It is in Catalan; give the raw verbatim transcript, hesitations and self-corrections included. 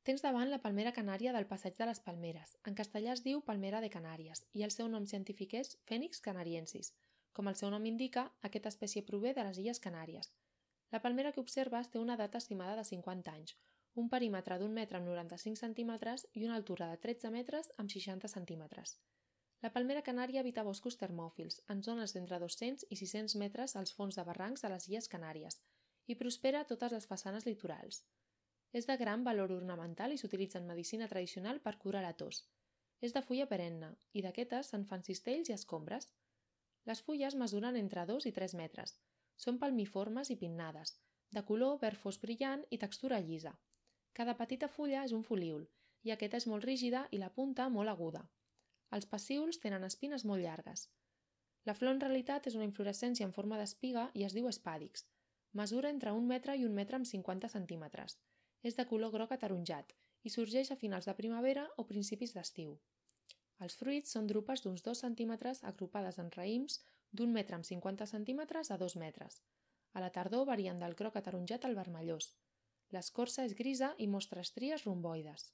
Tens davant la palmera canària del Passeig de les Palmeres. En castellà es diu palmera de Canàries i el seu nom científic és Phoenix canariensis. Com el seu nom indica, aquesta espècie prové de les Illes Canàries. La palmera que observes té una edat estimada de cinquanta anys, un perímetre d'un metre amb noranta-cinc centímetres i una altura de tretze metres amb seixanta centímetres. La palmera canària habita boscos termòfils, en zones d'entre dos-cents i sis-cents metres als fons de barrancs de les Illes Canàries, i prospera a totes les façanes litorals. És de gran valor ornamental i s'utilitza en medicina tradicional per curar la tos. És de fulla perenne i d'aquestes se'n fan cistells i escombres. Les fulles mesuren entre dos i tres metres. Són palmiformes i pinnades, de color verd fosc brillant i textura llisa. Cada petita fulla és un folíol i aquesta és molt rígida i la punta molt aguda. Els pecíols tenen espines molt llargues. La flor en realitat és una inflorescència en forma d'espiga i es diu espàdix. Mesura entre un metre i un metre amb cinquanta centímetres. És de color groc ataronjat i sorgeix a finals de primavera o principis d'estiu. Els fruits són drupes d'uns dos centímetres agrupades en raïms d'un metre amb cinquanta centímetres a dos metres. A la tardor varien del groc ataronjat al vermellós. L'escorça és grisa i mostra estries romboides.